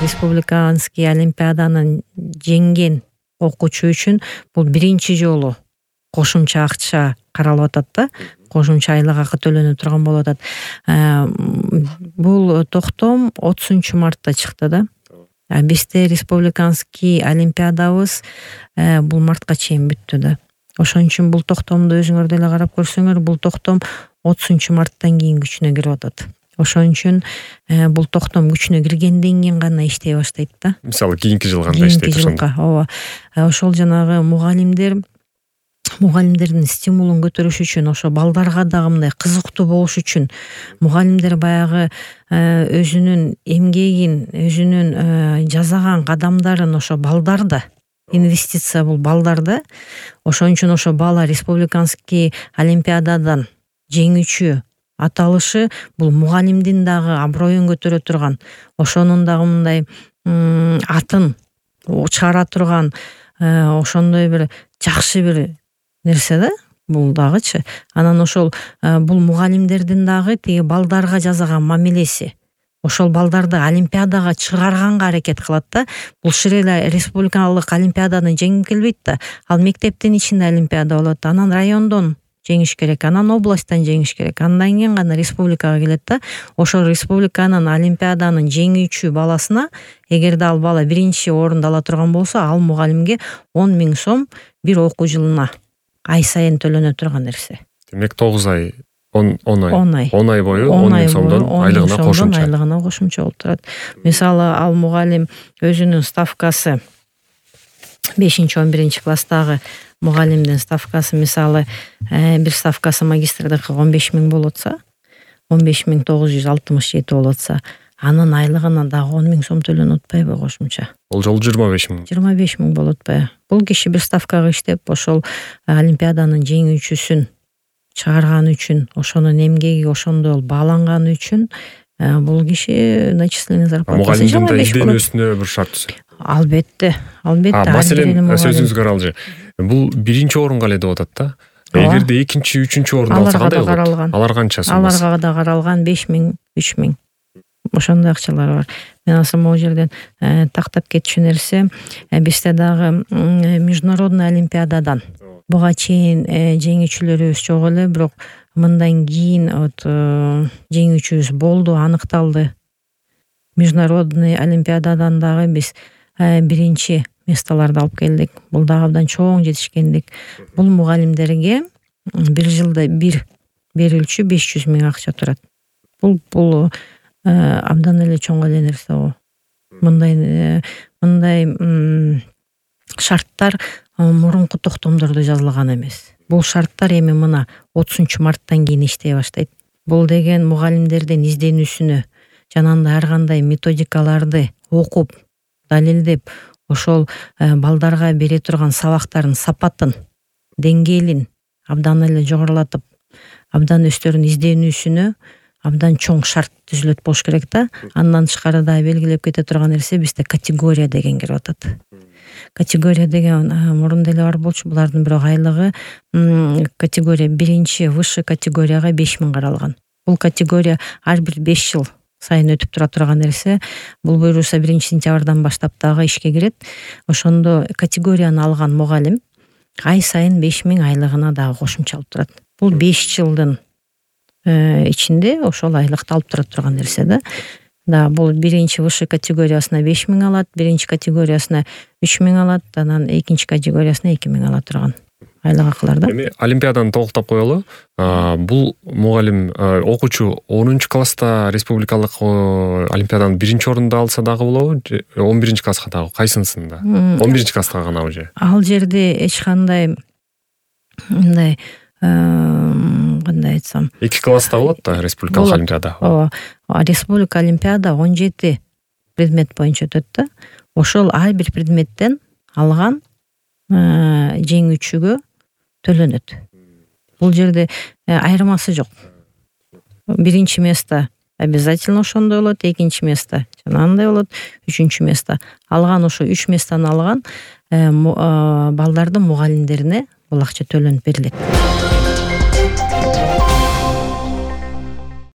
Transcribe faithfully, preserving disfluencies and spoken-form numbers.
республиканский олимпиаданы жеңген окуучу үчүн бул биринчи жолу кошумча акча каралып атат да, кошумча айлык акы төлөнүп турган болуп атат. Бул токтом отузунчу мартта чыкты да. Бизде республиканский олимпиадабыз бул мартка чейин бүттү да. Ошон үчүн бул токтомду өзүңөр деле карап көрсөңөр, бул токтом отузунчу марттан кийин күчүнө кирип атат. Ошон үчүн бул токтом күчүнө киргенден кийин гана иштей баштайт да. Мисалы кийинки жыл кандай иштейт ошондо? Ооба. Ошол жанагы мугалимдер мугалимдердин стимулун көтөрүш үчүн, ошо балдарга дагы мындай кызыктуу болуш үчүн мугалимдер баягы өзүнүн эмгегин, өзүнүн жасаган кадамдарын ошо балдарда, инвестиция бул балдарда. Ошон үчүн ошо бала республиканский олимпиададан жеңүүчү аталышы бул мугалимдин дагы аброюн көтөрө турган, ошонун дагы мындай атын чыгара турган ошондой бир жакшы бир нерсе да бул дагычы. Анан ошол бул мугалимдердин дагы тиги балдарга жасаган мамилеси ошол балдарды олимпиадага чыгарганга аракет кылат да. Бул шире республикалык олимпиаданы жеңип келбейт да. Ал мектептин ичинде олимпиада болот, анан райондон жеңиш керек, анан областтан жеңиш керек, андан кийин гана республикага келет да. Ошол республиканын олимпиаданын жеңүүчү баласына, эгерде ал бала биринчи орунду ала турган болсо, ал мугалимге он миң сом бир окуу жылына ай сайын төлөнө турган нерсе. Демек тогуз ай, он ай, он ай бою он миң сомдон айлыгына кошумча. Айлыгына кошумча болуп турат. Мисалы, ал мугалим өзүнүн ставкасы бешинчи он биринчи класстагы мугалимдин ставкасы, мисалы, бир ставкасы магистрдыкы он беш миң болуп атса, он беш миң тогуз жүз алтымыш жети болуп атса, анын айлыгына дагы он миң сом төлөнүп атпайбы кошумча? Ол жолу жыйырма беш миң. жыйырма беш миң болуп атпайбы? Бул киши бир ставкага иштеп, ошол олимпиаданын жеңүүчүсүн чыгарган үчүн, ошонун эмгеги ошондой бааланганы үчүн бул киши начисленный зарплатасы жыйырма беш болот. Мугалимдин изденүүсүнө бир шарт түзөт. Албетте, албетте. Маселен, сөзүңүзгө каралжы. Бул биринчи орунга эле деп атат да. Эгерде экинчи, үчүнчү орунду алса кандай болот? Алар канча сомасы? Аларга да каралган беш миң, үч миң. Ошондой акчалар бар. Мен асыл могу жерден тактап кетчү нерсе, бизде дагы международный олимпиададан буга чейин жеңүүчүлөрүбүз жок эле, бирок мындан кийин вот жеңүүчүбүз болду, аныкталды. Международный олимпиададан дагы биз биринчи местолорду алып келдик. Бул дагы абдан чоң жетишкендик. Бул мугалимдерге бир жылда бир берилчү беш жүз миң акча турат. Бул бул абдан эле чоң эле нерсе го. Мындай мындай шарттар мурунку токтомдордо жазылган эмес. Бул шарттар эми мына отузунчу марттан кийин иштей баштайт. Бул деген мугалимдердин изденүүсүнө, жанагындай ар кандай методикаларды окуп, далилдеп, ошол балдарга бере турган сабактардын сапатын, деңгээлин абдан эле жогорулатып, абдан өздөрүнүн изденүүсүнө абдан чоң шарт түзүлөт болуш керек да. Андан тышкары да белгилеп кете турган нерсе бизде категория деген кирип атат. Категория деген мурун деле бар болчу, булардын бирок айлыгы категория биринчи высший категорияга беш миң каралган. Бул категория ар бир беш жыл сайын өтүп тура турган нерсе. Бул буюрса биринчи сентябрдан баштап дагы ишке кирет. Ошондо категорияны алган мугалим ай сайын беш миң айлыгына дагы кошумча алып турат. Бул беш жылдын ичинде ошол айлыкты алып тура турган нерсе да. Да, бул биринчи высший категориясына беш миң алат, биринчи категориясына үч миң алат, анан экинчи категориясына эки миң ала турган айлык акылар да. Эми олимпиаданы толуктап коелу. Бул мугалим окуучу онунчу класста республикалык олимпиаданын биринчи орунду алса дагы болобу, он биринчи класска дагы кайсынысында? он биринчи класска гана уже. Ал жерде эч кандай мындай кандай айтсам, эки класста болот да республикалык олимпиада. Ооба. Республика олимпиада он жети предмет боюнча өтөт да. Ошол ар бир предметтен алган жеңүүчүгө төлөнөт. Бул жерде айырмасы жок. Биринчи место обязательно ошондой болот, экинчи место жанагындай болот, үчүнчү место. Алган ошо үч местаны алган балдардын мугалимдерине бул акча төлөнүп берилет.